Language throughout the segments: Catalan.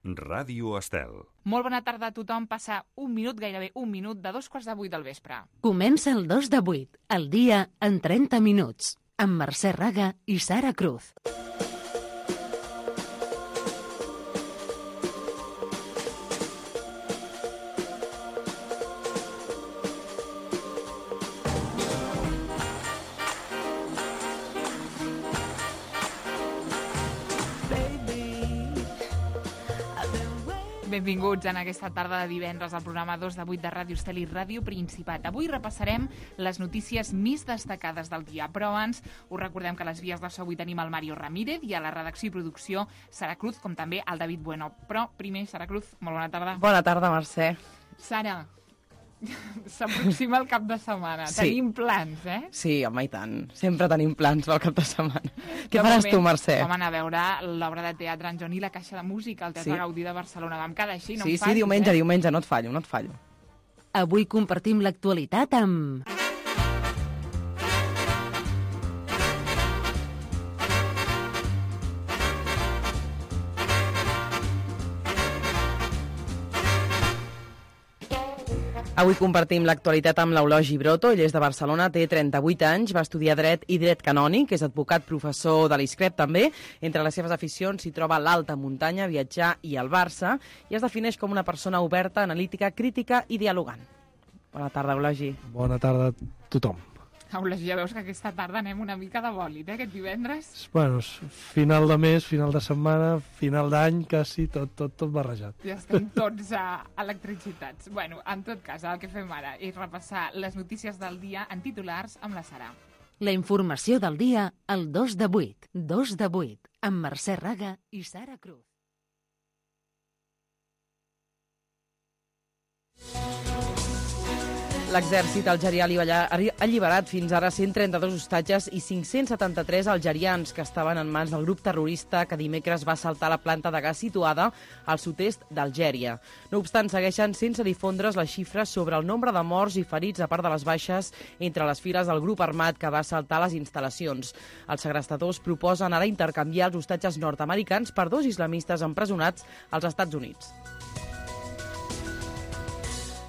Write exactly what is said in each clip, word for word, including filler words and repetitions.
Ràdio Estel. Molt bona tarda a tothom. Passa un minut, gairebé un minut, de dos quarts de vuit del vespre. Comença el dos de vuit, el dia en trenta minuts, amb Mercè Raga i Sara Cruz. Benvinguts en aquesta tarda de divendres al programa dos de vuit de Ràdio Estel i Ràdio Principat. Avui repassarem les notícies més destacades del dia, però abans us recordem que a les vies de so avui tenim el Mario Ramírez i a la redacció i producció Sara Cruz, com també el David Bueno. Però primer, Sara Cruz, molt bona tarda. Bona tarda, Mercè. Sara, s'aproxima el cap de setmana. Sí. Tenim plans, eh? Sí, home, i tant. Sempre tenim plans pel cap de setmana. Què De faràs moment, tu, Mercè? Vam anar a veure l'obra de teatre en Joan i la Caixa de Música al Teatre Sí. Gaudí de Barcelona. Vam quedar així, no Sí, em sí, fallis, diumenge, eh? diumenge, no et fallo, no et fallo. Avui compartim l'actualitat amb... Avui compartim l'actualitat amb l'Eulogi Broto. Ell és de Barcelona, té trenta-vuit anys, va estudiar dret i dret canònic, és advocat, professor de l'ISCREP també. Entre les seves aficions s'hi troba l'alta muntanya, viatjar i el Barça, i es defineix com una persona oberta, analítica, crítica i dialogant. Bona tarda, Eulogi. Bona tarda a tothom. Aules, ja veus que aquesta tarda anem una mica de bòlit, eh, aquest divendres. Bueno, és final de mes, final de setmana, final d'any, quasi tot, tot, tot barrejat. Ja estem tots a electricitats. Bueno, en tot cas, el que fem ara és repassar les notícies del dia en titulars amb la Sara. La informació del dia al dos de vuit. dos de vuit, amb Mercè Raga i Sara Cruz. L'exèrcit algerià ha alliberat fins ara cent trenta-dos hostatges i cinc-cents setanta-tres algerians que estaven en mans del grup terrorista que dimecres va assaltar la planta de gas situada al sud-est d'Algèria. No obstant, segueixen sense difondre's les xifres sobre el nombre de morts i ferits a part de les baixes entre les files del grup armat que va assaltar les instal·lacions. Els segrestadors proposen ara intercanviar els hostatges nord-americans per dos islamistes empresonats als Estats Units.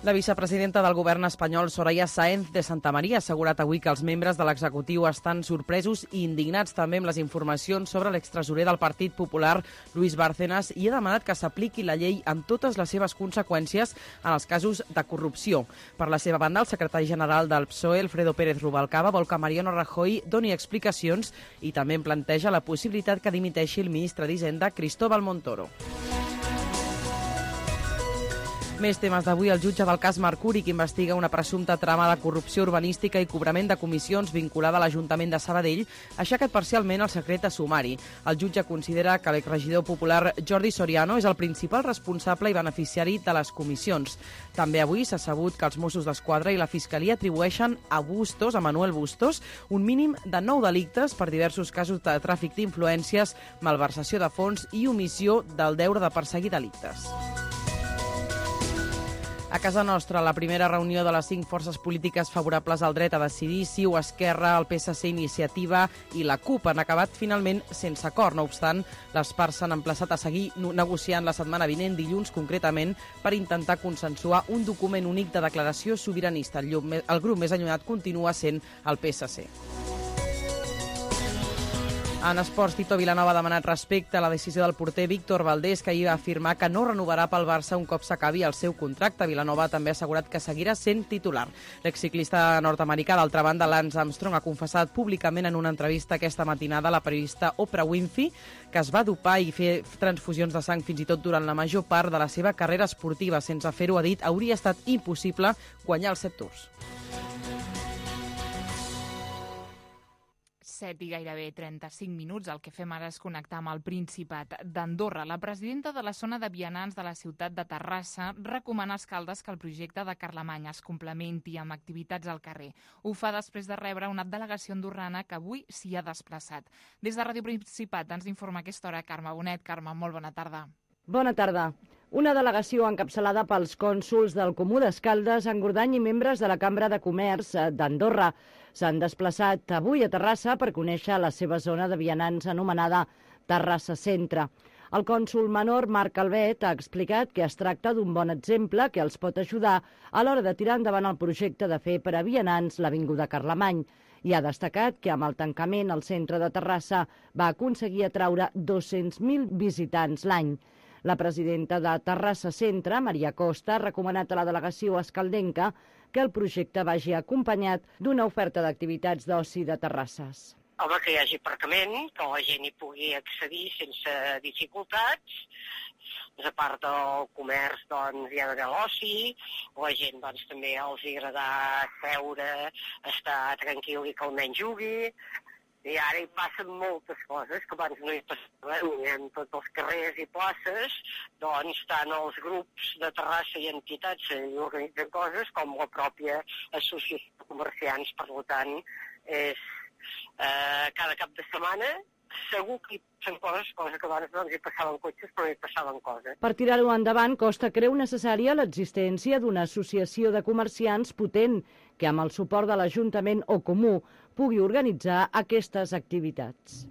La vicepresidenta del govern espanyol, Soraya Sáenz de Santamaría, ha assegurat avui que els membres de l'executiu estan sorpresos i indignats també amb les informacions sobre l'extresorer del Partit Popular, Luis Bárcenas, i ha demanat que s'apliqui la llei amb totes les seves conseqüències en els casos de corrupció. Per la seva banda, el secretari general del P S O E, Alfredo Pérez Rubalcaba, vol que Mariano Rajoy doni explicacions i també en planteja la possibilitat que dimiteixi el ministre d'Hisenda, Cristóbal Montoro. Més temes d'avui. El jutge del cas Mercuri, que investiga una presumpta trama de corrupció urbanística i cobrament de comissions vinculada a l'Ajuntament de Sabadell, ha aixecat parcialment el secret a sumari. El jutge considera que l'exregidor popular Jordi Soriano és el principal responsable i beneficiari de les comissions. També avui s'ha sabut que els Mossos d'Esquadra i la Fiscalia atribueixen a Bustos, a Manuel Bustos, un mínim de nou delictes per diversos casos de tràfic d'influències, malversació de fons i omissió del deure de perseguir delictes. A casa nostra, la primera reunió de les cinc forces polítiques favorables al dret a decidir, CiU, Esquerra, el P S C, Iniciativa i la CUP, han acabat finalment sense acord. No obstant, les parts s'han emplaçat a seguir negociant la setmana vinent, dilluns concretament, per intentar consensuar un document únic de declaració sobiranista. El grup més allunyat continua sent el P S C. En esports, Tito Vilanova ha demanat respecte a la decisió del porter Víctor Valdés, que ahir va afirmar que no renovarà pel Barça un cop s'acabi el seu contracte. Vilanova també ha assegurat que seguirà sent titular. L'exciclista nord-americà, d'altra banda, Lance Armstrong, ha confessat públicament en una entrevista aquesta matinada a la periodista Oprah Winfrey que es va dopar i fer transfusions de sang fins i tot durant la major part de la seva carrera esportiva. Sense fer-ho, ha dit, hauria estat impossible guanyar els set tours. set i gairebé trenta-cinc minuts. El que fem ara és connectar amb el Principat d'Andorra. La presidenta de la zona de vianants de la ciutat de Terrassa recomana als alcaldes que el projecte de Carlemany es complementi amb activitats al carrer. Ho fa després de rebre una delegació andorrana que avui s'hi ha desplaçat. Des de Ràdio Principat ens informa a aquesta hora Carme Bonet. Carme, molt bona tarda. Bona tarda. Una delegació encapçalada pels cònsols del Comú d'Escaldes, Engordany i membres de la Cambra de Comerç d'Andorra s'han desplaçat avui a Terrassa per conèixer la seva zona de vianants anomenada Terrassa Centre. El cònsol menor, Marc Calvet, ha explicat que es tracta d'un bon exemple que els pot ajudar a l'hora de tirar endavant el projecte de fer per a vianants l'Avinguda Carlemany, i ha destacat que amb el tancament el centre de Terrassa va aconseguir atraure dos-cents mil visitants l'any. La presidenta de Terrassa Centre, Maria Costa, ha recomanat a la delegació escaldenca que el projecte vagi acompanyat d'una oferta d'activitats d'oci de terrasses. Home, que hi hagi aparcament, que la gent hi pugui accedir sense dificultats. A part del comerç, doncs, hi ha d'haver l'oci, la gent, doncs, també els agrada seure, estar tranquil i que almenys jugui. I ara hi passen moltes coses que abans no hi passaven, en tots els carrers i places, doncs tant els grups de Terrassa i entitats hi organitzen coses com la pròpia associació de comerciants. Per tant, és eh, cada cap de setmana segur que hi passen coses, coses que abans doncs, hi passaven cotxes però no hi passaven coses. Per tirar-ho endavant, Costa creu necessària l'existència d'una associació de comerciants potent que amb el suport de l'Ajuntament o Comú pugui organitzar aquestes activitats.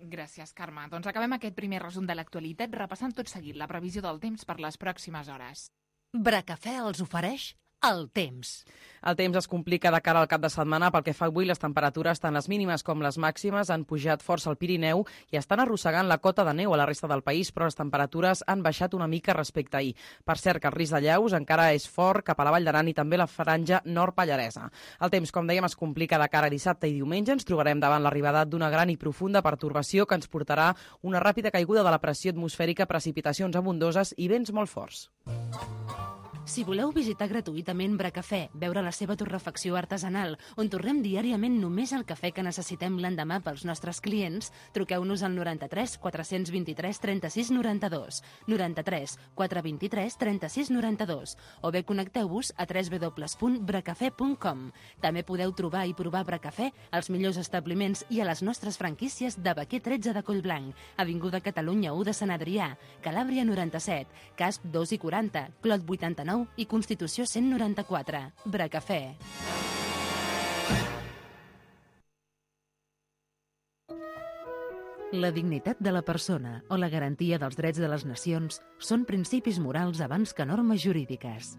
Gràcies, Carme. Doncs acabem aquest primer resum de l'actualitat repassant tot seguit la previsió del temps per les pròximes hores. Bracafè els ofereix el temps. El temps es complica de cara al cap de setmana. Pel que fa avui, les temperatures, tant les mínimes com les màximes, han pujat força al Pirineu i estan arrossegant la cota de neu a la resta del país, però les temperatures han baixat una mica respecte a ahir. Per cert, que el risc de llaus encara és fort cap a la Vall d'Aran i també la franja nord-pallaresa. El temps, com dèiem, es complica de cara a dissabte i diumenge. Ens trobarem davant l'arribada d'una gran i profunda pertorbació que ens portarà una ràpida caiguda de la pressió atmosfèrica, precipitacions abundoses i vents molt forts. Si voleu visitar gratuïtament Bracafè, veure la seva torrefacció artesanal, on torrem diàriament només el cafè que necessitem l'endemà pels nostres clients, truqueu-nos al noranta-tres quatre-cents vint-i-tres trenta-sis noranta-dos, noranta-tres quatre vint-i-tres trenta-sis noranta-dos, o bé connecteu-vos a w w w punt bracafè punt com. També podeu trobar i provar Bracafè als millors establiments i a les nostres franquícies de Baquer tretze de Collblanc, Avinguda Catalunya u de Sant Adrià, Calàbria noranta-set, Casp dos i quaranta, Clot vuitanta-nou i Constitució cent noranta-quatre. Bracafè. La dignitat de la persona o la garantia dels drets de les nacions són principis morals abans que normes jurídiques.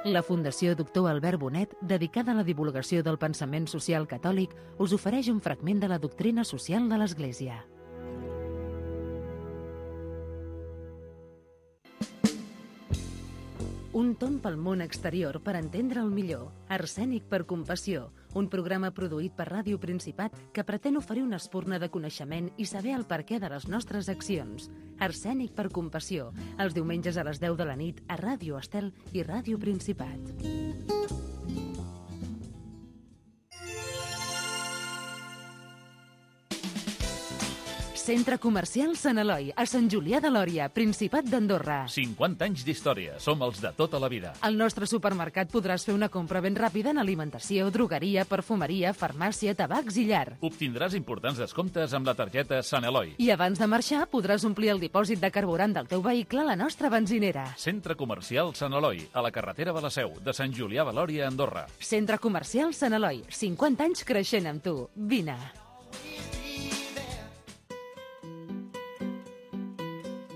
La Fundació Doctor Albert Bonet, dedicada a la divulgació del pensament social catòlic, us ofereix un fragment de la doctrina social de l'Església. Un tomb pel món exterior per entendre'l millor. Arsènic per compassió, un programa produït per Ràdio Principat que pretén oferir una espurna de coneixement i saber el perquè de les nostres accions. Arsènic per compassió, els diumenges a les deu de la nit a Ràdio Estel i Ràdio Principat. Centre Comercial Sant Eloi, a Sant Julià de Lòria, Principat d'Andorra. cinquanta anys d'història. Som els de tota la vida. Al nostre supermercat podràs fer una compra ben ràpida en alimentació, drogueria, perfumeria, farmàcia, tabacs i llar. Obtindràs importants descomptes amb la targeta Sant Eloi. I abans de marxar podràs omplir el dipòsit de carburant del teu vehicle a la nostra benzinera. Centre Comercial Sant Eloi, a la carretera de la Seu, de Sant Julià de Lòria, Andorra. Centre Comercial Sant Eloi, cinquanta anys creixent amb tu. Vine.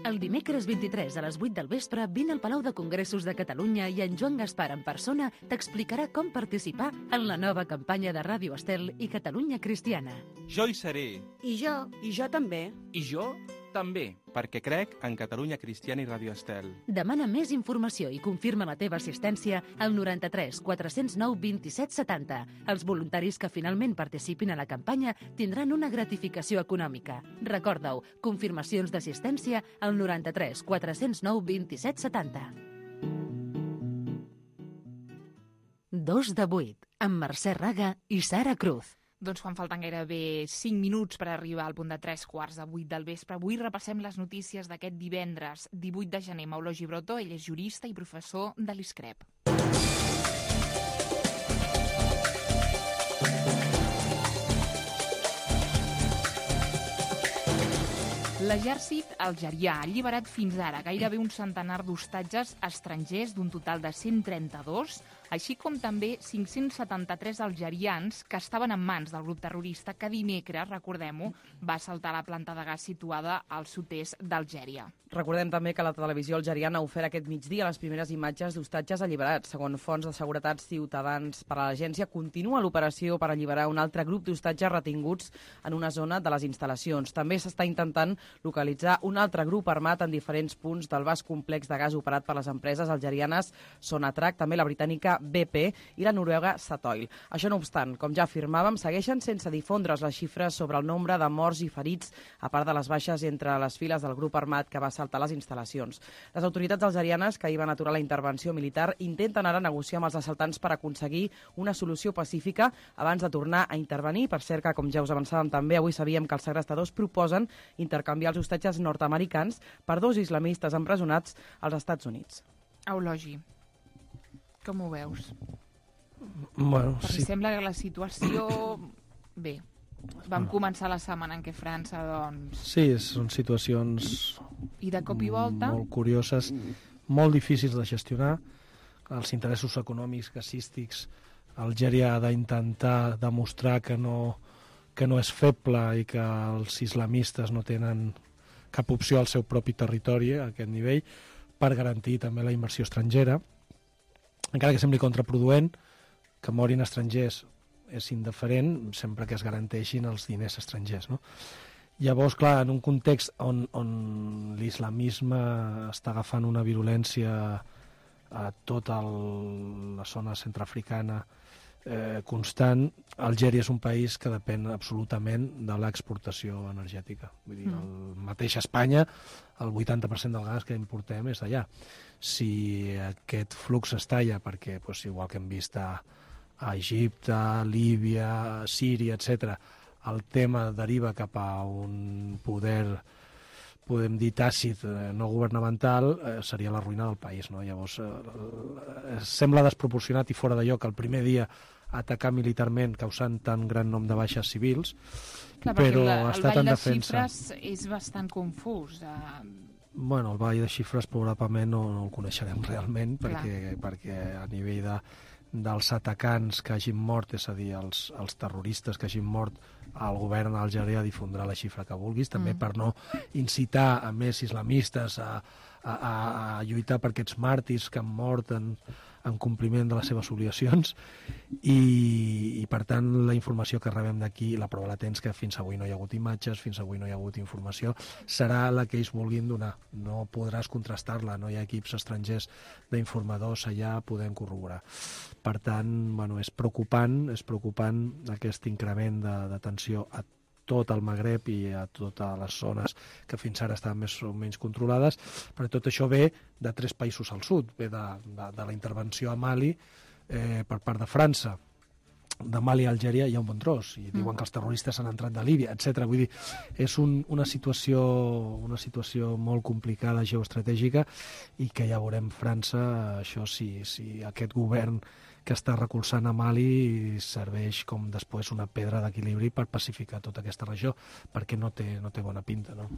El dimecres vint-i-tres a les vuit del vespre vine al Palau de Congressos de Catalunya i en Joan Gaspar en persona t'explicarà com participar en la nova campanya de Ràdio Estel i Catalunya Cristiana. Jo hi seré. I jo. I jo també. I jo també. Perquè crec en Catalunya Cristiana i Ràdio Estel. Demana més informació i confirma la teva assistència al noranta-tres quatre-cents nou vint-i-set setanta. Els voluntaris que finalment participin a la campanya tindran una gratificació econòmica. Recorda-ho, confirmacions d'assistència al noranta-tres quatre-cents nou vint-i-set setanta. Dos de vuit, amb Mercè Raga i Sara Cruz. Doncs quan falten gairebé cinc minuts per arribar al punt de tres quarts de vuit del vespre, avui repassem les notícies d'aquest divendres, divuit de gener. Mauló Gibrotto, ell és jurista i professor de l'ISCREP. L'exèrcit algerià ha alliberat fins ara gairebé un centenar d'hostatges estrangers d'un total de cent trenta-dos així com també cinc-cents setanta-tres algerians que estaven en mans del grup terrorista que dimecres, recordem-ho, va assaltar la planta de gas situada al sud-est d'Algèria. Recordem també que la televisió algeriana ha ofert aquest migdia les primeres imatges d'hostatges alliberats. Segons fonts de seguretat ciutadans per a l'agència, continua l'operació per alliberar un altre grup d'hostatges retinguts en una zona de les instal·lacions. També s'està intentant localitzar un altre grup armat en diferents punts del vast complex de gas operat per les empreses algerianes Sonatrach, també la britànica B P i la noruega Statoil. Això no obstant, com ja afirmàvem, segueixen sense difondre's les xifres sobre el nombre de morts i ferits, a part de les baixes entre les files del grup armat que va assaltar les instal·lacions. Les autoritats algerianes, que hi van aturar la intervenció militar, intenten ara negociar amb els assaltants per aconseguir una solució pacífica abans de tornar a intervenir. Per cert, que, com ja us avançàvem també, avui sabíem que els segrestadors proposen intercanviar els hostatges nord-americans per dos islamistes empresonats als Estats Units. Eulogi, com ho veus? Bueno, Perquè sí. sembla que la situació... Bé, vam començar la setmana en què França, doncs... Sí, són situacions I de cop i volta... molt curioses, molt difícils de gestionar. Els interessos econòmics, gasístics, Algèria ha d'intentar demostrar que no, que no és feble i que els islamistes no tenen cap opció al seu propi territori a aquest nivell, per garantir també la inversió estrangera. Encara que sembli contraproduent, que morin estrangers és indiferent sempre que es garanteixin els diners estrangers, no? Llavors, clar, en un context on, on l'islamisme està agafant una virulència a tota el, la zona centreafricana eh, constant, Algèria és un país que depèn absolutament de l'exportació energètica. Vull dir, el mateix Espanya, el vuitanta per cent del gas que importem és d'allà. Si aquest flux es talla, perquè doncs, igual que hem vist a, a Egipte, Líbia, Síria, etcètera, el tema deriva cap a un poder, podem dir, tàcit, no governamental, eh, seria la ruïna del país, no? Llavors, eh, sembla desproporcionat i fora de lloc el primer dia atacar militarment causant tan gran nombre de baixes civils, Clar, però la, ha estat en defensa. El ball de xifres és bastant confús. Eh... Bueno, el ball de xifres probablement no, no el coneixerem realment, perquè, perquè a nivell de, dels atacants que hagin mort, és a dir, els, els terroristes que hagin mort, el govern algerià difondrà la xifra que vulguis, també mm. per no incitar a més islamistes a, a, a lluitar per aquests màrtirs que han mort en, en compliment de les seves obligacions, i, i per tant la informació que rebem d'aquí, la prova latents que fins avui no hi ha hagut imatges, fins avui no hi ha hagut informació, serà la que ells vulguin donar. No podràs contrastar-la, no hi ha equips estrangers d'informadors allà podent corroborar. Per tant, bueno, és preocupant, és preocupant aquest increment de, de tensió a tot el Magreb i a totes les zones que fins ara estaven més o menys controlades, però tot això ve de tres països al sud, ve de, de, de la intervenció a Mali eh, per part de França. De Mali a Algèria hi ha un bon tros, i diuen que els terroristes han entrat de Líbia, etcètera. Vull dir, és un, una, situació, una situació molt complicada geoestratègica, i que ja veurem França, això si, si aquest govern que està recolzant a Mali serveix com després una pedra d'equilibri per pacificar tota aquesta regió, perquè no té, no té bona pinta, no?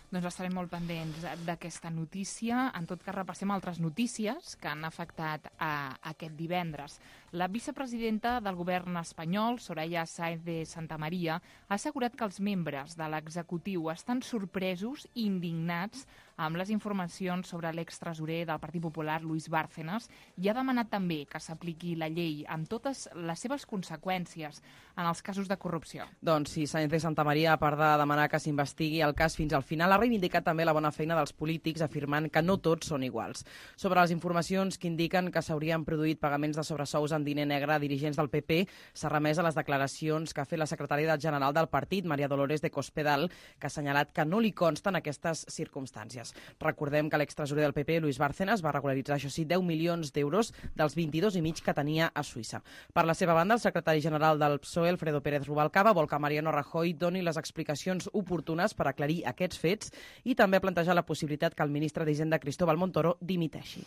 Doncs estarem molt pendents d'aquesta notícia. En tot cas, repassem altres notícies que han afectat a aquest divendres. La vicepresidenta del govern espanyol, Soraya Sáenz de Santamaría, ha assegurat que els membres de l'executiu estan sorpresos i indignats amb les informacions sobre l'extresorer del Partit Popular, Luis Bárcenas, i ha demanat també que s'apliqui la llei amb totes les seves conseqüències en els casos de corrupció. Doncs sí, Sáenz de Santamaría, a part de demanar que s'investigui el cas fins al final, ha reivindicat també la bona feina dels polítics, afirmant que no tots són iguals. Sobre les informacions que indiquen que s'haurien produït pagaments de sobresous en diner negre a dirigents del P P, s'ha remès a les declaracions que ha fet la secretària general del partit, María Dolores de Cospedal, que ha assenyalat que no li consten aquestes circumstàncies. Recordem que l'extresorer del P P, Luis Bárcenas, va regularitzar, això sí, deu milions d'euros dels vint-i-dos i mig que tenia a Suïssa. Per la seva banda, el secretari general del P S O E, Alfredo Pérez Rubalcaba, vol que Mariano Rajoy doni les explicacions oportunes per aclarir aquests fets, i també ha plantejat la possibilitat que el ministre d'Hisenda, Cristóbal Montoro, dimiteixi.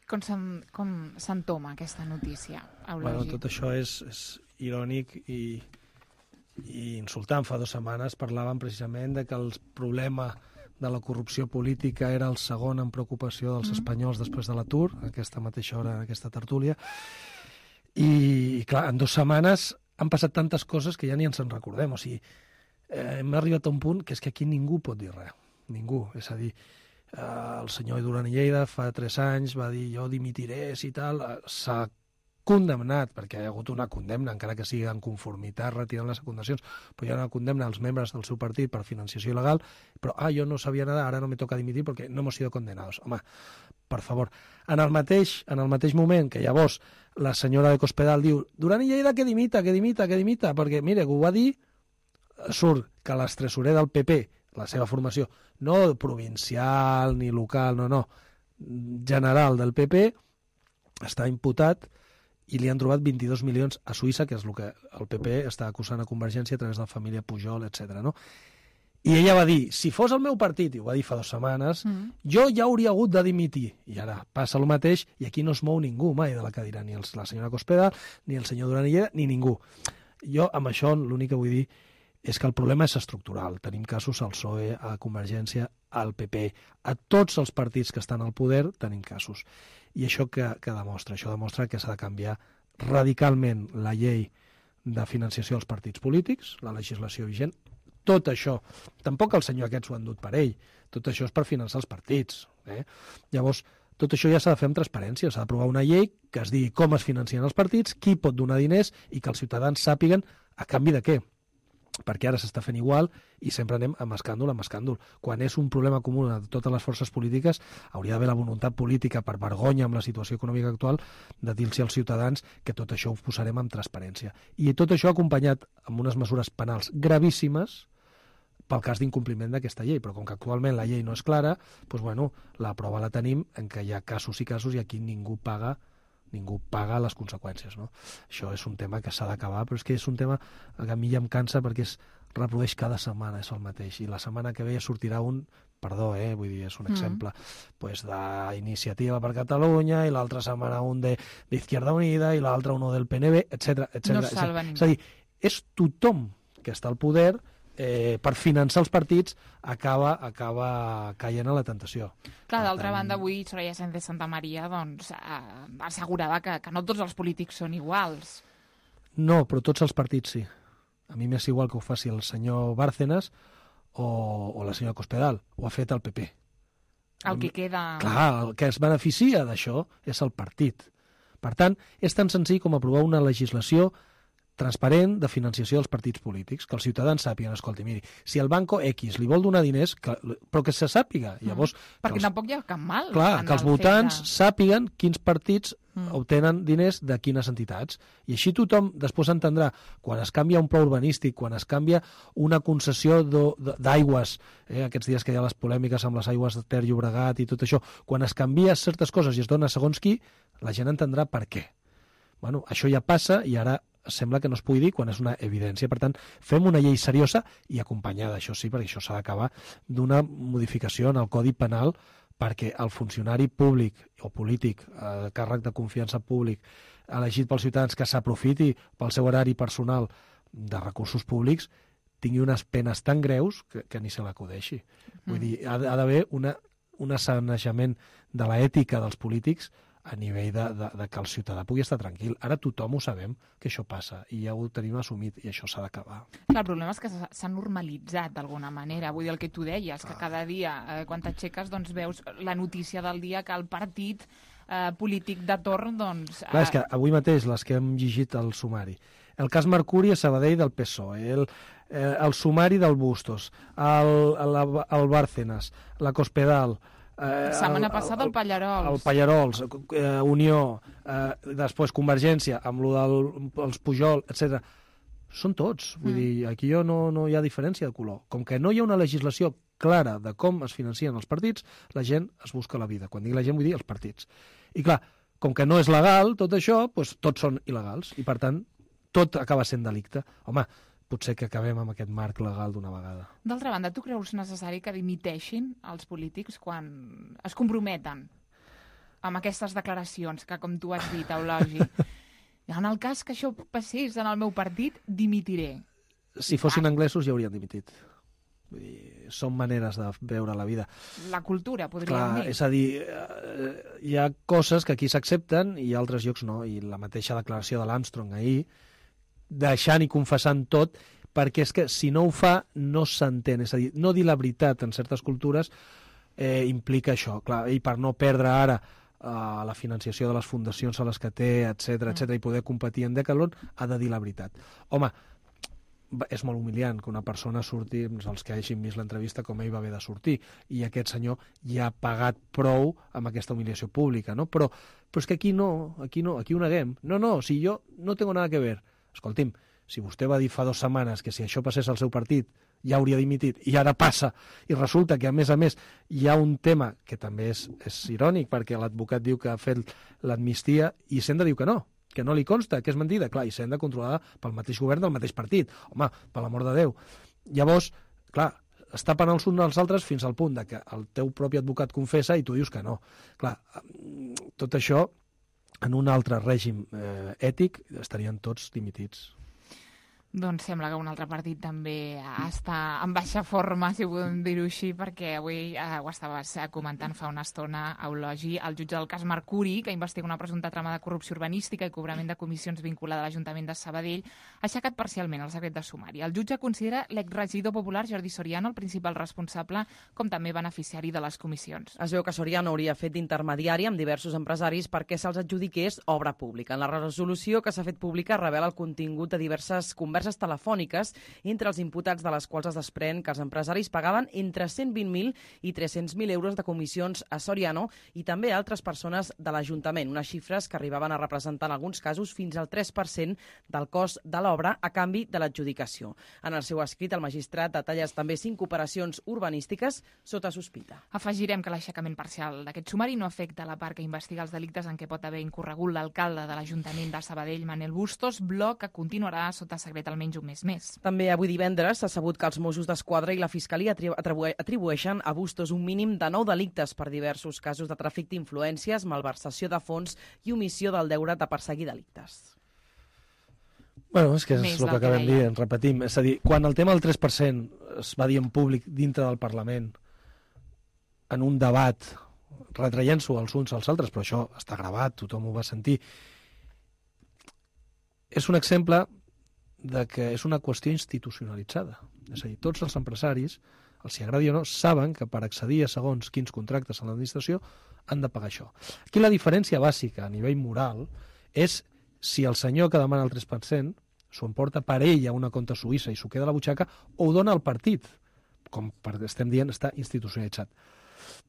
Com s'entoma aquesta notícia, Eulogi? Bueno, tot això és, és irònic i, i insultant. Fa dues setmanes parlàvem precisament de que el problema de la corrupció política era el segon en preocupació dels espanyols després de l'atur, a aquesta mateixa hora, en aquesta tertúlia. I, clar, en dues setmanes han passat tantes coses que ja ni ens en recordem. O sigui, eh, hem arribat a un punt que és que aquí ningú pot dir res. Ningú. És a dir, eh, el senyor Duran i Lleida fa tres anys va dir jo dimitiré si tal, s'ha condemnat, perquè hi ha hagut una condemna, encara que sigui en conformitat, retirant les secundacions, però hi ha una condemna als membres del seu partit per financiació il·legal, però, ah, jo no sabia nada, ara no me toca dimitir perquè no hemos sido condenados. Home, per favor. En el mateix, en el mateix moment que llavors la senyora de Cospedal diu Duran i Lleida que dimita, que dimita, que dimita, perquè, mire, que ho va dir, surt que l'estresorer del P P, la seva formació, no provincial ni local, no, no, general del P P, està imputat i li han trobat vint-i-dos milions a Suïssa, que és el que el P P està acusant a Convergència a través de la família Pujol, etcètera. No? I ella va dir, si fos el meu partit, i ho va dir fa dues setmanes, mm. jo ja hauria hagut de dimitir. I ara passa el mateix, i aquí no es mou ningú mai de la cadira, ni la senyora Cospedal, ni el senyor Duran i Lleida, ni ningú. Jo, amb això, l'únic que vull dir és que el problema és estructural. Tenim casos al P S O E, a Convergència, al P P, a tots els partits que estan al poder tenim casos. I això que, que demostra? Això demostra que s'ha de canviar radicalment la llei de financiació dels partits polítics, la legislació vigent. Tot això, tampoc el senyor aquest s'ho ha endut per ell, tot això és per finançar els partits. Eh? Llavors, tot això ja s'ha de fer amb transparència, s'ha d'aprovar una llei que es digui com es financien els partits, qui pot donar diners i que els ciutadans sàpiguen a canvi de què. Perquè ara s'està fent igual i sempre anem amb escàndol, amb escàndol. Quan és un problema comú de totes les forces polítiques, hauria d'haver la voluntat política, per vergonya amb la situació econòmica actual, de dir-los als ciutadans que tot això ho posarem amb transparència. I tot això acompanyat amb unes mesures penals gravíssimes pel cas d'incompliment d'aquesta llei. Però com que actualment la llei no és clara, doncs, bueno, la prova la tenim en què hi ha casos i casos i aquí ningú paga ningú paga les conseqüències, no? Això és un tema que s'ha d'acabar, però és que és un tema que a mi ja em cansa perquè es reprodueix cada setmana, és el mateix, i la setmana que ve ja sortirà un, perdó, eh, vull dir, és un exemple, mm. pues d'Iniciativa per Catalunya, i l'altra setmana un de, d'Izquierda Unida, i l'altra un del P N V, etcètera, etcètera. No salva ningú. És a dir, és tothom que està al poder Eh, per finançar els partits acaba, acaba caient a la tentació. Clar, d'altra banda, avui Soraya Sáenz de Santa Maria doncs, eh, assegurava que, que no tots els polítics són iguals. No, però tots els partits sí. A mi m'és igual que ho faci el senyor Bárcenas o, o la senyora Cospedal. Ho ha fet el P P. El que queda... Clar, el que es beneficia d'això és el partit. Per tant, és tan senzill com aprovar una legislació transparent de financiació dels partits polítics, que els ciutadans sàpiguen, escolti, miri, si el Banco X li vol donar diners, que, però que se sàpiga. Llavors, mm. Perquè els, tampoc hi ha cap mal. Clar, que els votants de... sàpiguen quins partits mm. obtenen diners de quines entitats. I així tothom després entendrà, quan es canvia un pla urbanístic, quan es canvia una concessió d'aigües, eh, aquests dies que hi ha les polèmiques amb les aigües de Ter Llobregat i tot això, quan es canvia certes coses i es dona segons qui, la gent entendrà per què. Bueno, això ja passa i ara sembla que no es pugui dir quan és una evidència. Per tant, fem una llei seriosa i acompanyada, això sí, perquè això s'ha d'acabar, d'una modificació en el Codi Penal perquè el funcionari públic o polític, eh, càrrec de confiança públic, elegit pels ciutadans, que s'aprofiti pel seu horari personal de recursos públics, tingui unes penes tan greus que, que ni se l'acudeixi. Mm. Vull dir, ha, ha d'haver una, un assanejament de l'ètica dels polítics a nivell de, de, de que el ciutadà pugui estar tranquil. Ara tothom ho sabem, que això passa, i ja ho tenim assumit, i això s'ha d'acabar. Clar, el problema és que s'ha normalitzat d'alguna manera. Vull dir, el que tu deies, que cada dia, eh, quan t'aixeques, doncs veus la notícia del dia que el partit eh, polític de torn, doncs... Eh... Clar, és que avui mateix, les que hem llegit al sumari, el cas Mercuri a Sabadell del P S O E, el, eh, el sumari del Bustos, el, el, el Bárcenas, la Cospedal... Eh, setmana passada el Pallarols. El Pallarols, eh, Unió, eh, després Convergència, amb lo dels Pujol, etcètera. Són tots. Vull mm. dir, aquí jo no, no hi ha diferència de color. Com que no hi ha una legislació clara de com es financien els partits, la gent es busca la vida. Quan dic la gent vull dir els partits. I clar, com que no és legal tot això, doncs tots són il·legals. I per tant, tot acaba sent delicte. Home, potser que acabem amb aquest marc legal d'una vegada. D'altra banda, tu creus necessari que dimiteixin els polítics quan es comprometen amb aquestes declaracions que, com tu has dit, Eulogi, en el cas que això passés en el meu partit, dimitiré? Si fossin anglesos ja haurien dimitit. Vull dir, són maneres de veure la vida. La cultura, podríem Clar, dir. És a dir, eh, hi ha coses que aquí s'accepten i altres llocs no, i la mateixa declaració de l'Armstrong ahir, deixant i confessant tot, perquè és que si no ho fa no s'entén, és a dir, no dir la veritat en certes cultures eh, implica això, clar, i per no perdre ara eh, la financiació de les fundacions a les que té, etcètera, etcètera, i poder competir en Decathlon, ha de dir la veritat. Home, és molt humiliant que una persona surti, els que hagin vist l'entrevista, com ell va haver de sortir, i aquest senyor ja ha pagat prou amb aquesta humiliació pública, no? Però, però és que aquí no, aquí no, aquí ho neguem. No, no, si jo no tengo nada que ver. Escolti'm, si vostè va dir fa dues setmanes que si això passés al seu partit ja hauria dimitit, i ara passa, i resulta que, a més a més, hi ha un tema que també és, és irònic, perquè l'advocat diu que ha fet l'amnistia i Senda diu que no, que no li consta, que és mentida, clar, i Senda controlada pel mateix govern del mateix partit. Home, per l'amor de Déu. Llavors, clar, es tapen els uns dels altres fins al punt de que el teu propi advocat confessa i tu dius que no. Clar, tot això, en un altre règim eh, ètic, estarien tots dimitits. Doncs sembla que un altre partit també està en baixa forma, si podem dir-ho així, perquè avui eh, ho estaves comentant fa una estona, Eulogi, el jutge del cas Mercuri, que investiga una presumpta trama de corrupció urbanística i cobrament de comissions vinculada a l'Ajuntament de Sabadell, ha aixecat parcialment el secret de sumari. El jutge considera l'exregidor popular Jordi Soriano el principal responsable, com també beneficiari de les comissions. Es veu que Soriano hauria fet d'intermediari amb diversos empresaris perquè se'ls adjudiqués obra pública. En la resolució que s'ha fet pública revela el contingut de diverses converses converses telefòniques entre els imputats, de les quals es desprèn que els empresaris pagaven entre cent vint mil i tres-cents mil euros de comissions a Soriano i també a altres persones de l'Ajuntament, unes xifres que arribaven a representar en alguns casos fins al tres per cent del cost de l'obra a canvi de l'adjudicació. En el seu escrit, el magistrat detalla també cinc operacions urbanístiques sota sospita. Afegirem que l'aixecament parcial d'aquest sumari no afecta la part que investiga els delictes en què pot haver incorregut l'alcalde de l'Ajuntament de Sabadell, Manel Bustos, bloc que continuarà sota secret almenys un mes més. També avui divendres s'ha sabut que els Mossos d'Esquadra i la Fiscalia atribueixen a Bustos un mínim de nou delictes per diversos casos de tràfic d'influències, malversació de fons i omissió del deure de perseguir delictes. Bueno, és que és el que acabem dient, repetim. És a dir, quan el tema del tres per cent es va dir en públic dintre del Parlament, en un debat, retraient-s'ho els uns als altres, però això està gravat, tothom ho va sentir, és un exemple de que és una qüestió institucionalitzada. És a dir, tots els empresaris, els si agradi o no, saben que per accedir a segons quins contractes a l'administració han de pagar això. Aquí la diferència bàsica a nivell moral és si el senyor que demana el tres per cent s'ho emporta per ell a una compta suïssa i s'ho queda a la butxaca o ho dona al partit, com estem dient, està institucionalitzat.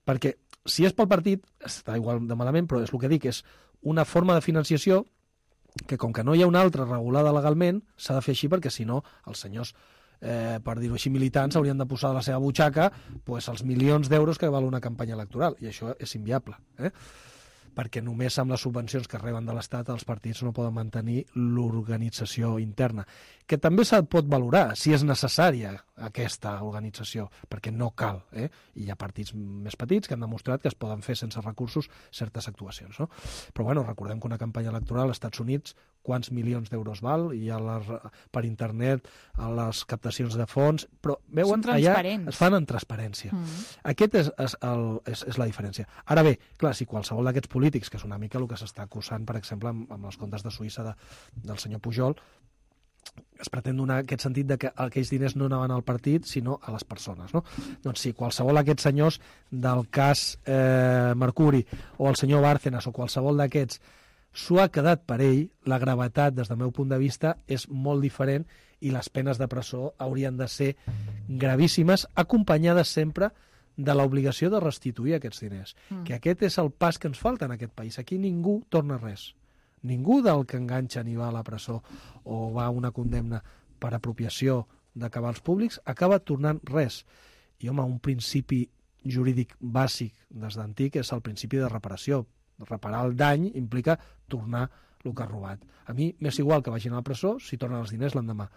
Perquè si és pel partit, està igual de malament, però és el que dic, és una forma de financiació que com que no hi ha una altra regulada legalment, s'ha de fer així perquè si no els senyors, eh, per dir-ho així, militants haurien de posar de la seva butxaca pues, els milions d'euros que val una campanya electoral, i això és inviable, eh? perquè només amb les subvencions que reben de l'Estat els partits no poden mantenir l'organització interna, que també se'n pot valorar si és necessària aquesta organització, perquè no cal, eh? i hi ha partits més petits que han demostrat que es poden fer sense recursos certes actuacions. No? Però bueno, recordem que una campanya electoral als Estats Units quants milions d'euros val, i a les, per internet a les captacions de fons, però veuen, allà es fan en transparència. Mm. Aquest és, és, el, és, és la diferència. Ara bé, clar, si qualsevol d'aquests polítics, que és una mica el que s'està acusant, per exemple, amb, amb els comptes de Suïssa de, del senyor Pujol, es pretén donar aquest sentit de que aquells diners no anaven al partit, sinó a les persones. No? Doncs si qualsevol d'aquests senyors del cas eh, Mercuri, o el senyor Bárcenas, o qualsevol d'aquests, s'ho ha quedat per ell, la gravetat, des del meu punt de vista, és molt diferent i les penes de presó haurien de ser gravíssimes, acompanyades sempre de l'obligació de restituir aquests diners. Mm. Que aquest és el pas que ens falta en aquest país. Aquí ningú torna res. Ningú del que enganxa ni va a la presó o va a una condemna per apropiació de cabals públics acaba tornant res. I, home, un principi jurídic bàsic des d'antic és el principi de reparació. Reparar el dany implica tornar el que ha robat. A mi m'és igual que vagin a la presó si tornen els diners l'endemà.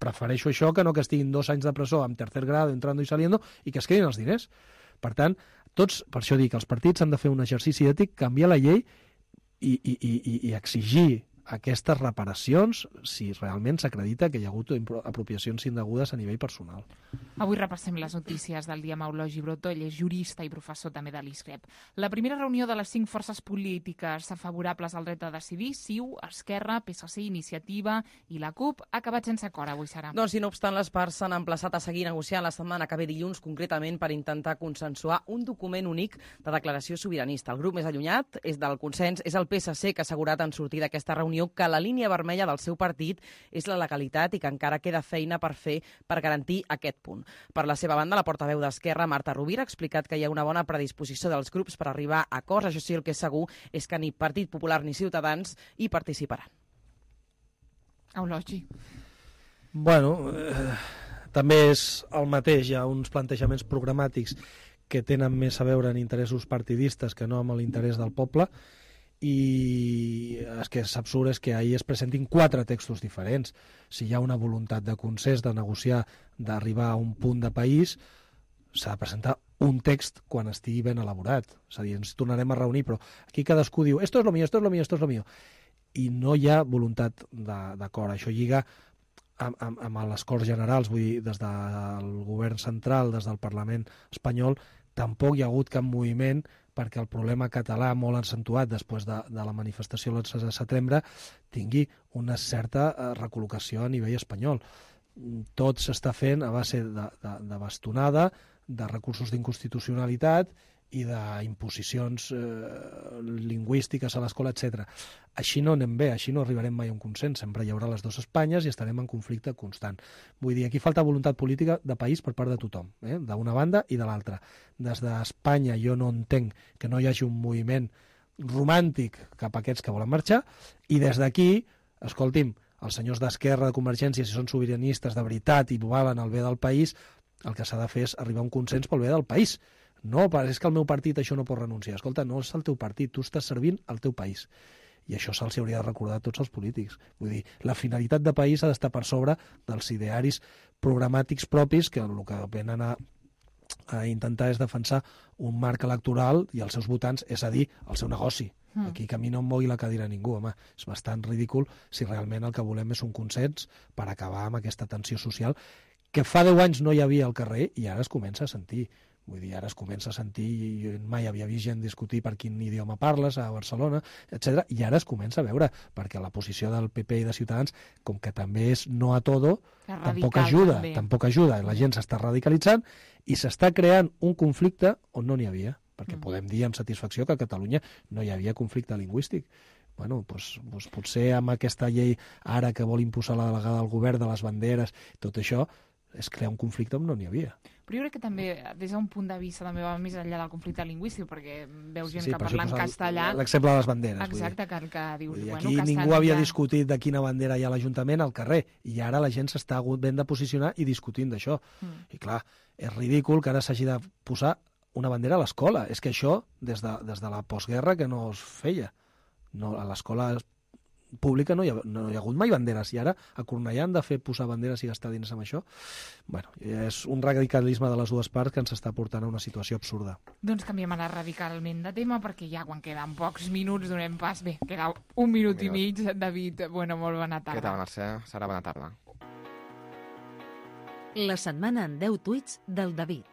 Prefereixo això que no que estiguin dos anys de presó amb tercer grado, entrando i saliendo, i que es quedin els diners. Per tant, tots, per això dic, els partits han de fer un exercici ètic, canviar la llei i, i, i, i exigir aquestes reparacions si realment s'acredita que hi ha hagut apropiacions indegudes a nivell personal. Avui repassem les notícies del dia amb Eulogi Brotó. Ell és jurista i professor també de l'ISCREP. La primera reunió de les cinc forces polítiques favorables al dret a decidir, C I U, Esquerra, P S C, Iniciativa i la CUP, ha acabat sense acord avui, Sara. Doncs, i no obstant, les parts s'han emplaçat a seguir negociant la setmana que ve dilluns, concretament per intentar consensuar un document únic de declaració sobiranista. El grup més allunyat és del consens és el P S C, que ha assegurat en sortir d'aquesta reunió que la línia vermella del seu partit és la legalitat i que encara queda feina per fer per garantir aquest punt. Per la seva banda, la portaveu d'Esquerra, Marta Rovira, ha explicat que hi ha una bona predisposició dels grups per arribar a acords. Això sí, el que és segur és que ni Partit Popular ni Ciutadans hi participaran. Eulogi. Bueno, eh, també és el mateix. Hi ha uns plantejaments programàtics que tenen més a veure en interessos partidistes que no amb l'interès del poble, i el que és absurd és que ahir es presentin quatre textos diferents. Si hi ha una voluntat de consens, de negociar, d'arribar a un punt de país, s'ha de presentar un text quan estigui ben elaborat. És a dir, ens tornarem a reunir, però aquí cadascú diu esto es lo mío, esto es lo mío, esto es lo mío. I no hi ha voluntat d'acord. Això lliga amb, amb, amb les Corts Generals, vull dir, des del govern central, des del Parlament espanyol, tampoc hi ha hagut cap moviment perquè el problema català, molt accentuat després de, de la manifestació el onze de setembre, tingui una certa eh, recol·locació a nivell espanyol. Tot s'està fent a base de, de, de bastonada, de recursos d'inconstitucionalitat i d'imposicions eh, lingüístiques a l'escola, etcètera. Així no anem bé, així no arribarem mai a un consens. Sempre hi haurà les dues Espanyes i estarem en conflicte constant. Vull dir, aquí falta voluntat política de país per part de tothom, eh? d'una banda i de l'altra. Des d'Espanya jo no entenc que no hi hagi un moviment romàntic cap a aquests que volen marxar, i des d'aquí, escolti'm, els senyors d'Esquerra, de Convergència, si són sobiranistes de veritat i volen el bé del país, el que s'ha de fer és arribar a un consens pel bé del país. No, és que el meu partit això no pot renunciar. Escolta, no és el teu partit, tu estàs servint el teu país. I això se'ls hauria de recordar a tots els polítics. Vull dir, la finalitat de país ha d'estar per sobre dels idearis programàtics propis que el que venen a, a intentar és defensar un marc electoral i els seus votants, és a dir, el seu negoci. Mm. Aquí que a mi no em mogui la cadira ningú, home. És bastant ridícul si realment el que volem és un consens per acabar amb aquesta tensió social que fa deu anys no hi havia al carrer i ara es comença a sentir. Vull dir, ara es comença a sentir, jo mai havia vist gent discutir per quin idioma parles a Barcelona, etcètera, i ara es comença a veure, perquè la posició del P P i de Ciutadans, com que també és no a todo, tampoc ajuda, també. tampoc ajuda. La gent s'està radicalitzant i s'està creant un conflicte on no n'hi havia, perquè mm. podem dir amb satisfacció que a Catalunya no hi havia conflicte lingüístic. Bueno, doncs, doncs potser amb aquesta llei ara que vol imposar la delegada del govern de les banderes, tot això, és crear un conflicte on no n'hi havia. Però jo crec que també, des d'un punt de vista, també va més enllà del conflicte lingüístic, perquè veus gent sí, que parla en castellà... L'exemple de les banderes. Exacte, que, que dius... Dir, bueno, aquí que ningú havia ja... discutit de quina bandera hi ha a l'Ajuntament al carrer, i ara la gent s'està ben de posicionar i discutint d'això. Mm. I clar, és ridícul que ara s'hagi de posar una bandera a l'escola. És que això, des de, des de la postguerra, que no es feia. No, a l'escola pública no hi, ha, no hi ha hagut mai banderes, i ara a Cornellà han de fer posar banderes i gastar diners amb això. Bueno, és un radicalisme de les dues parts que ens està portant a una situació absurda. Doncs canviem ara radicalment de tema, perquè ja quan queden pocs minuts donem pas. Bé, queda un minut, un minut. i mig. David, bueno, molt bona tarda. Què tal, Mercè? Serà bona tarda. La setmana en deu tuits del David.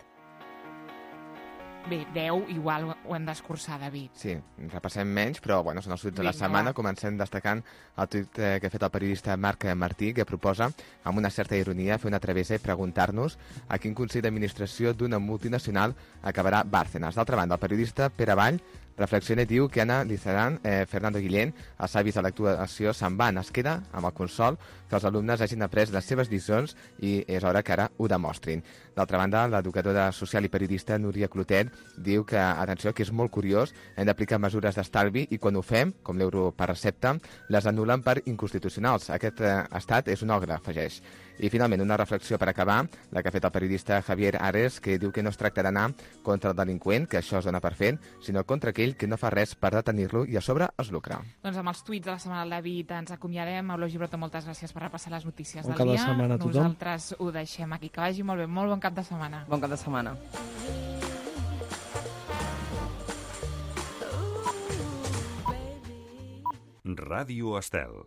Bé, deu, igual ho hem d'escurçar, David. Sí, repassem menys, però bueno, són els tuits de la setmana. Comencem destacant el tuit que ha fet el periodista Marc Martí, que proposa, amb una certa ironia, fer una travessa i preguntar-nos a quin consell d'administració d'una multinacional acabarà Bárcenas. D'altra banda, el periodista Pere Vall reflexiona i diu que Anna Lizaran, eh, Fernando Guillén, els savis de l'actuació se'n van. Es queda amb el consol que els alumnes hagin après les seves lliçons i és hora que ara ho demostrin. D'altra banda, l'educadora social i periodista Núria Clotet diu que, atenció, que és molt curiós, hem d'aplicar mesures d'estalvi i quan ho fem, com l'euro per recepta, les anulen per inconstitucionals. Aquest eh, estat és un ogre, afegeix. I finalment, una reflexió per acabar, la que ha fet el periodista Javier Ares, que diu que no es tracta d'anar contra el delinqüent, que això es dona per fet, sinó contra aquell que no fa res per detenir-lo i a sobre es lucra. Doncs amb els tuits de la setmana del David ens acomiadem. Eulogi Brotó, moltes gràcies per repassar les notícies bon del dia. Bon cap de setmana a tothom. Nosaltres ho deixem aquí. Que vagi molt bé. Molt bon cap de setmana. Bon cap de setmana. Ràdio Estel.